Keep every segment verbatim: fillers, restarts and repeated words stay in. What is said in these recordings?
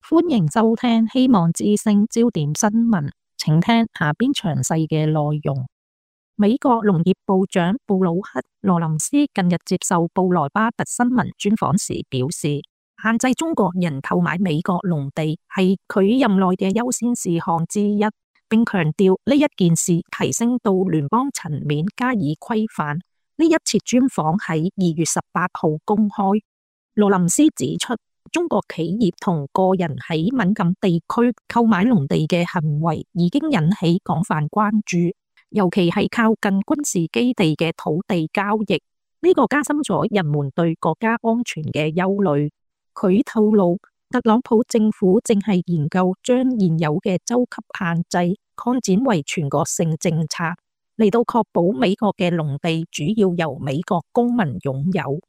歡迎收聽希望之聲焦點新聞，請聽下邊詳細嘅內容。美國農業部長布魯克·羅林斯近日接受布萊巴特新聞專訪時表示，限制中國人購買美國農地係佢任內嘅優先事項之一，並強調呢一件事提升到聯邦層面加以規範。呢一次專訪喺二月十八號公開。羅林斯指出，中國企業同個人喺敏感地區購買農地嘅行為已經引起廣泛關注，尤其係靠近軍事基地嘅土地交易，呢個加深咗人們對國家安全嘅憂慮。佢透露，特朗普政府正係研究將現有嘅州級限制擴展為全國性政策，嚟到確保美國嘅農地主要由美國公民擁有。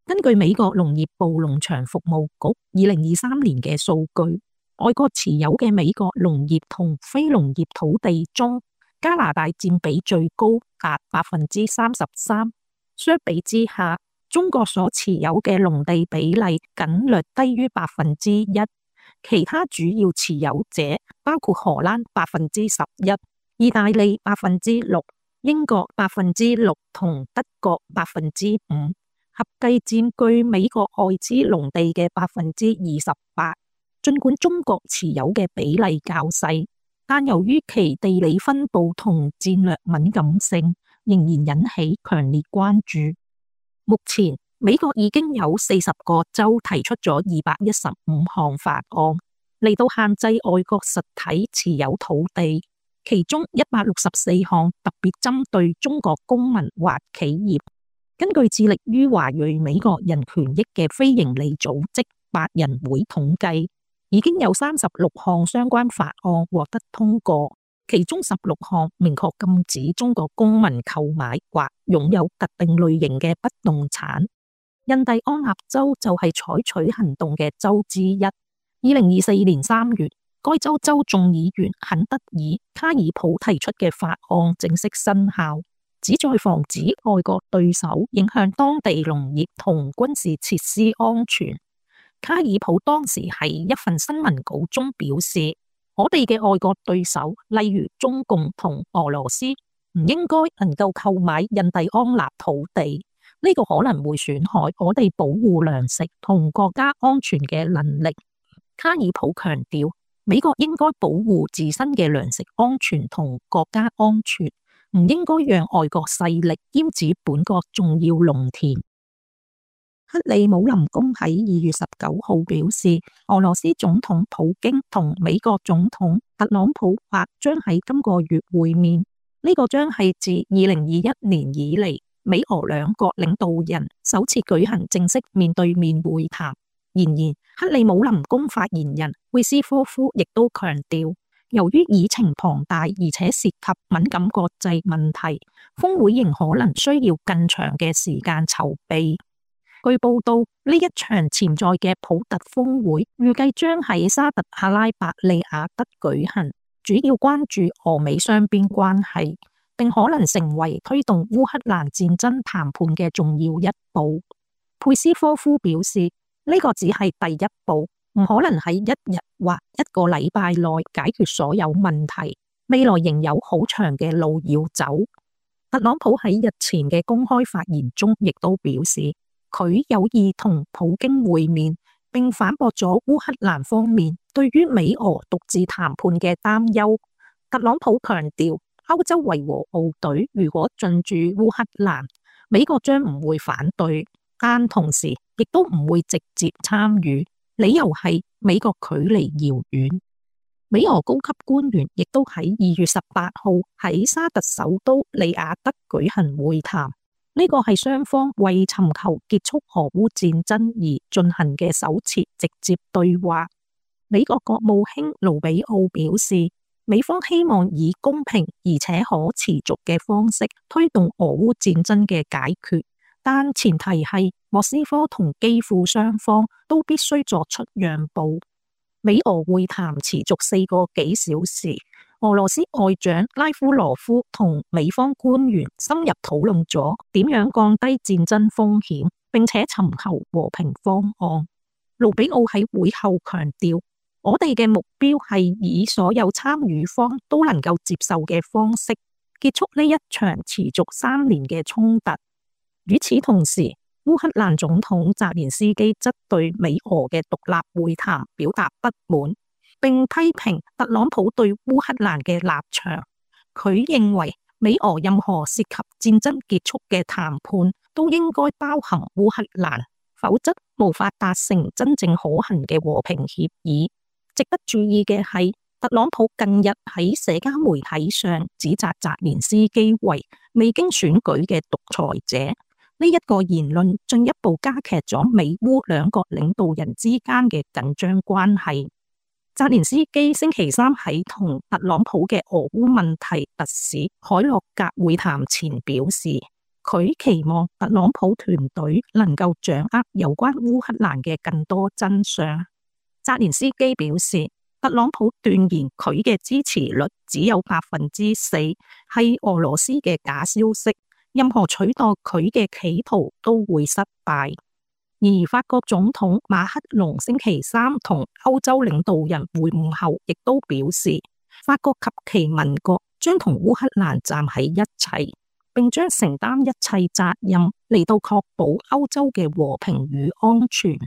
根據美國農業部農場服務局二零二三年嘅數據，外國持有嘅美國農業同非農業土地中，加拿大佔比最高，達百分之三十三。相比之下，中國所持有嘅農地比例僅略低於百分之一。其他主要持有者包括荷蘭百分之十一、意大利百分之六、英國百分之六同德國百分之五。合計佔據美國外資農地嘅百分之二十八。儘管中國持有嘅比例較細，但由於其地理分布同戰略敏感性，仍然引起強烈關注。目前，美國已經有四十個州提出咗二百一十五項法案，嚟到限制外國實體持有土地，其中一百六十四項特別針對中國公民或企業。根據致力於華裔美國人權益嘅非營利組織百人會統計，已經有三十六項相關法案獲得通過，其中十六項明確禁止中國公民購買或擁有特定類型嘅不動產。印第安納州就係採取行動嘅州之一。二零二四年三月，該州州眾議員肯德爾·卡爾普提出嘅法案正式生效，旨在防止外國對手影響當地農業同軍事設施安全。卡爾普當時喺一份新聞稿中表示，我哋嘅外國對手，例如中共同俄羅斯，唔應該能夠購買印第安納土地，呢個可能會損害我哋保護糧食同國家安全嘅能力。卡爾普強調，美國應該保護自身嘅糧食安全同國家安全，唔應該讓外國勢力閹割本國重要農田。克里姆林宮喺二月十九號表示，俄羅斯總統普京同美國總統特朗普或將喺今個月會面，呢、這個將係自二零二一年以嚟美俄兩國領導人首次舉行正式面對面會談。然而，克里姆林宮發言人佩斯科夫亦都強調，由於議程龐大而且涉及敏感國際問題，峰會仍可能需要更長嘅時間籌備。據報道，呢一場潛在嘅普特峰會預計將喺沙特阿拉伯利雅得舉行，主要關注俄美雙邊關係，並可能成為推動烏克蘭戰爭談判嘅重要一步。佩斯科夫表示，呢個只係第一步，唔可能喺一日或一個禮拜內解決所有問題，未來仍有好長嘅路要走。特朗普喺日前嘅公開發言中亦都表示，佢有意同普京會面，並反駁咗烏克蘭方面對於美俄獨自談判嘅擔憂。特朗普強調，歐洲維和部隊如果進駐烏克蘭，美國將唔會反對，但同時亦都唔會直接參與，理由係美國距離遙遠。美俄高級官員亦都喺二月十八號喺沙特首都利雅得舉行會談。呢個係雙方為尋求結束俄烏戰爭而進行嘅首次直接對話。美國國務卿盧比奧表示，美方希望以公平而且可持續嘅方式推動俄烏戰爭嘅解決，但前提係莫斯科同基輔雙方都必須作出讓步。美俄會談持續四個幾小時。俄羅斯外長拉夫羅夫同美方官員深入討論咗點樣降低戰爭風險，並且尋求和平方案。盧比奧喺會後強調，我哋嘅目標係以所有參與方都能夠接受嘅方式結束呢一場持續三年嘅衝突。與此同時，烏克蘭總統澤連斯基則對美俄嘅獨立會談表達不滿，並批評特朗普對烏克蘭嘅立場。佢認為美俄任何涉及戰爭結束嘅談判都應該包含烏克蘭，否則無法達成真正可行嘅和平協議。值得注意嘅係，特朗普近日喺社交媒體上指責澤連斯基為未經選舉嘅獨裁者。呢一個言論進一步加劇咗美烏兩國領導人之間嘅緊張關係。澤連斯基星期三喺同特朗普嘅俄烏問題特使海洛格會談前表示，佢期望特朗普團隊能夠掌握有關烏克蘭嘅更多真相。澤連斯基表示，特朗普斷言佢嘅支持率只有百分之四，係俄羅斯嘅假消息，任何取代佢嘅企圖都會失敗。而法國總統馬克龍星期三同歐洲領導人會晤後，亦都表示，法國及其盟國將同烏克蘭站喺一齊，並將承擔一切責任嚟到確保歐洲嘅和平與安全。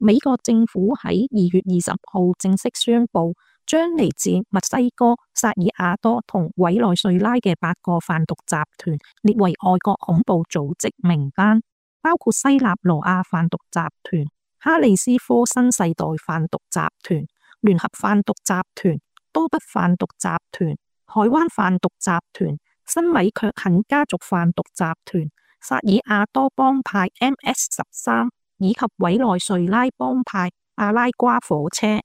美國政府喺二月二十號正式宣布，將嚟自墨西哥、薩爾瓦多同委內瑞拉嘅八個販毒集團列為外國恐怖組織名單，包括西納羅亞販毒集團、哈里斯科新世代販毒集團、聯合販毒集團、多北販毒集團、海灣販毒集團、新米卻肯家族販毒集團、薩爾瓦多幫派 M S 十三。以及委內瑞拉幫派阿拉瓜火車。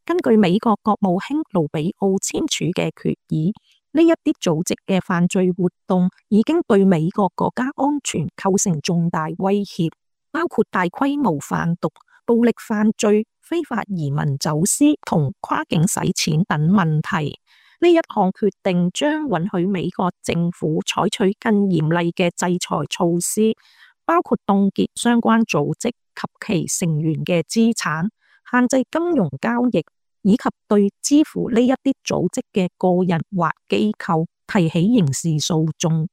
根據美國國務卿盧比奧簽署嘅決議，呢一啲組織嘅犯罪活動已經對美國國家安全構成重大威脅，包括大規模販毒、暴力犯罪、非法移民走私同跨境洗錢等問題。呢一項決定將允許美國政府採取更嚴厲嘅制裁措施，包括凍結相關組織及其成員嘅資產，限制金融交易，以及對支付呢一啲組織嘅個人或機構提起刑事訴訟。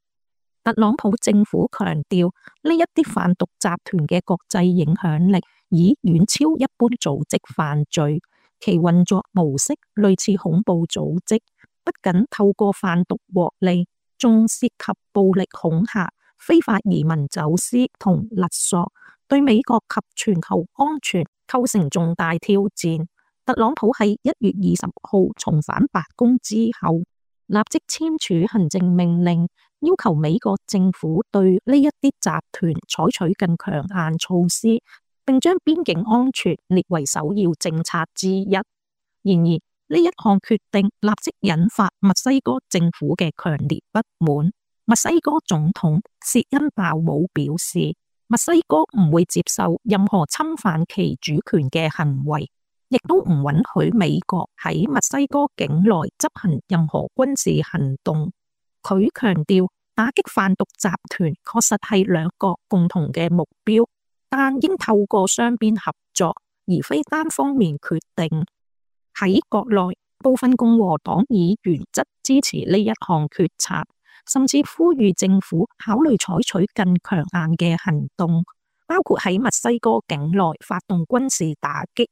特朗普政府強調，呢一啲販毒集團嘅國際影響力已遠超一般組織犯罪，其運作模式類似恐怖組織，不僅透過販毒獲利，仲涉及暴力恐嚇、非法移民走私同勒索，對美國及全球安全構成重大挑戰。特朗普喺一月二十號重返白宮之後，立即簽署行政命令，要求美國政府對呢一啲集團採取更強硬措施，並將邊境安全列為首要政策之一。然而，呢一項決定立即引發墨西哥政府嘅強烈不滿。墨西哥總統薛恩鮑姆表示，墨西哥唔會接受任何侵犯其主權嘅行為，亦都唔允許美國喺墨西哥境內執行任何軍事行動。佢強調，打擊販毒集團確實係兩國共同嘅目標，但應透過雙邊合作，而非單方面決定。喺國內，部分共和黨議員則支持呢一項決策，甚至呼籲政府考慮採取更強硬嘅行動，包括喺墨西哥境內發動軍事打擊。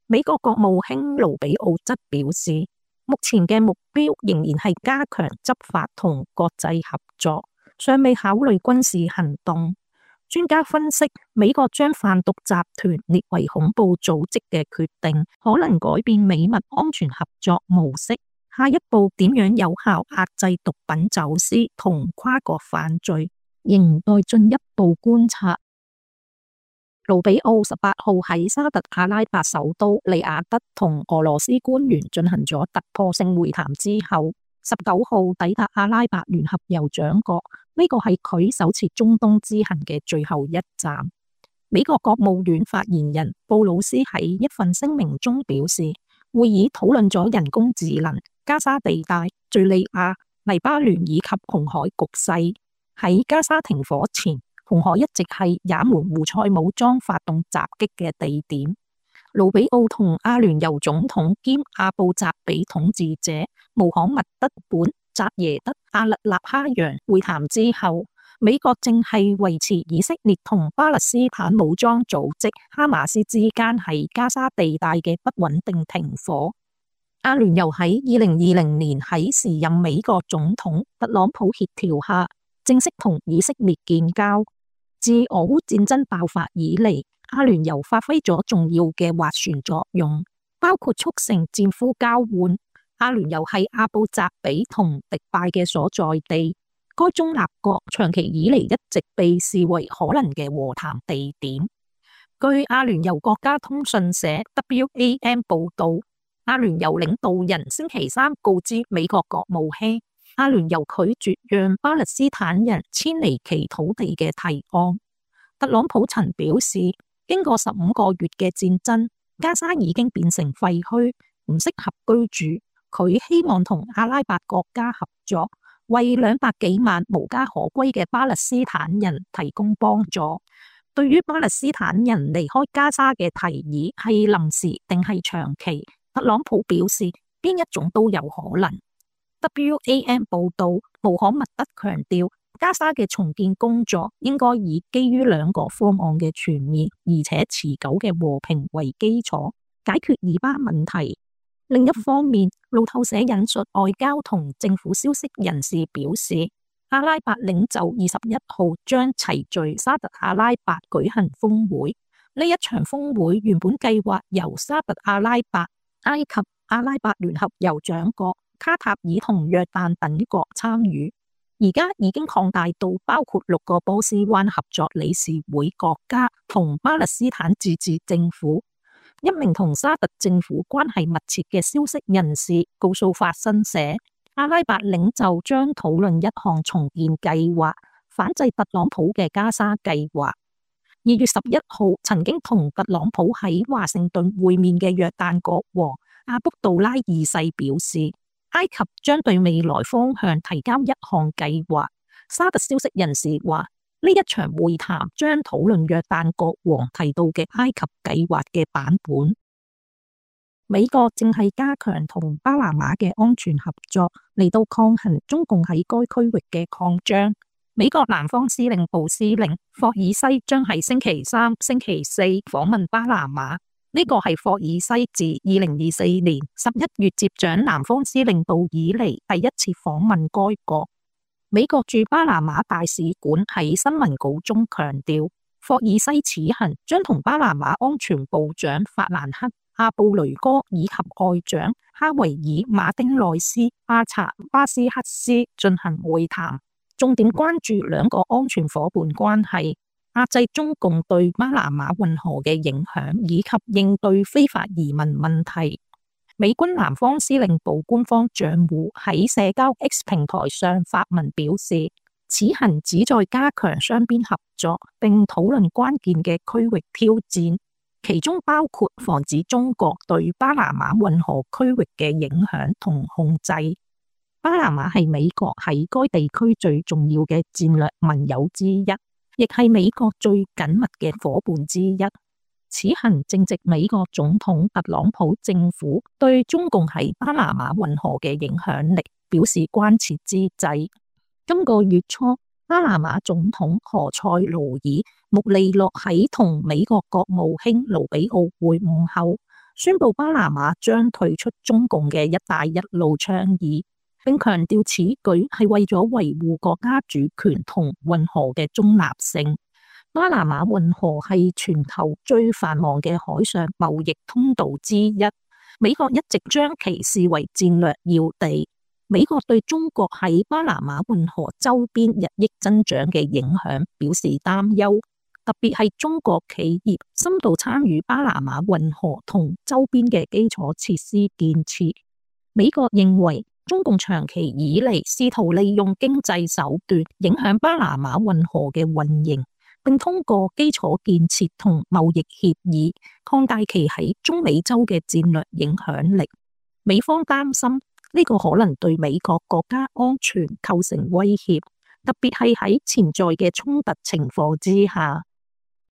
美國國務卿盧比奧則表示，目前嘅目標仍然係加強執法同國際合作，尚未考慮軍事行動。專家分析，美國將販毒集團列為恐怖組織嘅決定，可能改變美墨安全合作模式。下一步點樣有效壓制毒品走私同跨國犯罪，仍待進一步觀察。盧比奧十八號喺沙特阿拉伯首都利雅得同俄羅斯官員進行咗突破性會談之後，十九號抵達阿拉伯聯合酋長國，呢個係佢首次中東之行嘅最後一站。美國國務院發言人布魯斯喺一份聲明中表示，會議討論咗人工智能、加沙地帶、敘利亞、黎巴嫩以及紅海局勢。喺加沙停火前，紅海一直係也門胡塞武裝發動襲擊嘅地點。盧比奧同阿聯酋總統兼阿布扎比統治者穆罕默德本扎耶德阿勒納哈揚會談之後，美國正係維持以色列同巴勒斯坦武裝組織哈馬斯之間喺加沙地帶嘅不穩定停火。阿聯酋喺二零二零年喺時任美國總統特朗普協調下，正式同以色列建交。自俄烏戰爭爆發以嚟，阿聯酋發揮咗重要嘅斡旋作用，包括促成戰俘交換。阿聯酋係阿布扎比同迪拜嘅所在地，該中立國長期以嚟一直被視為可能嘅和談地點。據阿聯酋國家通訊社 W A M 報道，阿聯酋領導人星期三告知美國國務卿，阿聯酋拒絕讓巴勒斯坦人遷離其土地嘅提案。特朗普曾表示，經過十五個月嘅戰爭，加沙已經變成廢墟，唔適合居住。佢希望同阿拉伯國家合作，為兩百幾萬無家可歸嘅巴勒斯坦人提供幫助。對於巴勒斯坦人離開加沙嘅提議係臨時定係長期，特朗普表示邊一種都有可能。W A M 報道，穆罕默德強調，加沙嘅重建工作應該以基於兩個方案嘅全面而且持久嘅和平為基礎，解決以巴問題。另一方面，路透社引述外交同政府消息人士表示，阿拉伯領袖二十一號將齊聚沙特阿拉伯舉行峰會。呢一場峰會原本計劃由沙特阿拉伯、埃及、阿拉伯聯合酋長國、卡塔爾同約旦等國參與，而家已經擴大到包括六個波斯灣合作理事會國家同巴勒斯坦自治政府。一名同沙特政府關係密切嘅消息人士告訴法新社，阿拉伯領袖將討論一項重建計劃，反制特朗普嘅加沙計劃。二月十一號曾經同特朗普喺華盛頓會面嘅約旦國王阿卜杜拉二世表示，埃及將對未來方向提交一項計劃。沙特消息人士話，呢一場會談將討論約旦國王提到嘅埃及計劃嘅版本。美國正係加強同巴拿馬嘅安全合作，嚟到抗衡中共喺該區域嘅擴張。美國南方司令部司令霍爾西將喺星期三、星期四訪問巴拿馬。呢個係霍爾西自二零二四年十一月接掌南方司令部以嚟第一次訪問該國。美國駐巴拿馬大使館喺新聞稿中強調，霍爾西此行將同巴拿馬安全部長法蘭克·阿布雷哥以及外長哈維爾·馬丁內斯·巴查巴斯克斯進行會談，重點關注兩個安全夥伴關係、壓制中共對巴拿馬運河嘅影響以及應對非法移民問題。美軍南方司令部官方賬戶喺社交 X 平台上發文表示，此行旨在加強雙邊合作，並討論關鍵嘅區域挑戰，其中包括防止中國對巴拿馬運河區域嘅影響同控制。巴拿馬係美國喺該地區最重要嘅戰略盟友之一，亦係美國最緊密嘅夥伴之一。此行正值美國總統特朗普政府對中共喺巴拿馬運河嘅影響力表示關切之際。今個月初，巴拿馬總統何塞盧爾穆利諾喺同美國國務卿盧比奧會晤後，宣布巴拿馬將退出中共嘅一帶一路倡議，並強調此舉係為咗維護國家主權同運河嘅中立性。巴拿馬運河係全球最繁忙嘅海上貿易通道之一，美國一直將其視為戰略要地。美國對中國喺巴拿馬運河周邊日益增長嘅影響表示擔憂，特別係中國企業深度參與巴拿馬運河同周邊嘅基礎設施建設。美國認為中共長期以嚟試圖利用經濟手段影響巴拿馬運河嘅運營，並通過基礎建設同貿易協議擴大其喺中美洲嘅戰略影響力。美方擔心呢個可能對美國國家安全構成威脅，特別係喺潛在嘅衝突情況之下。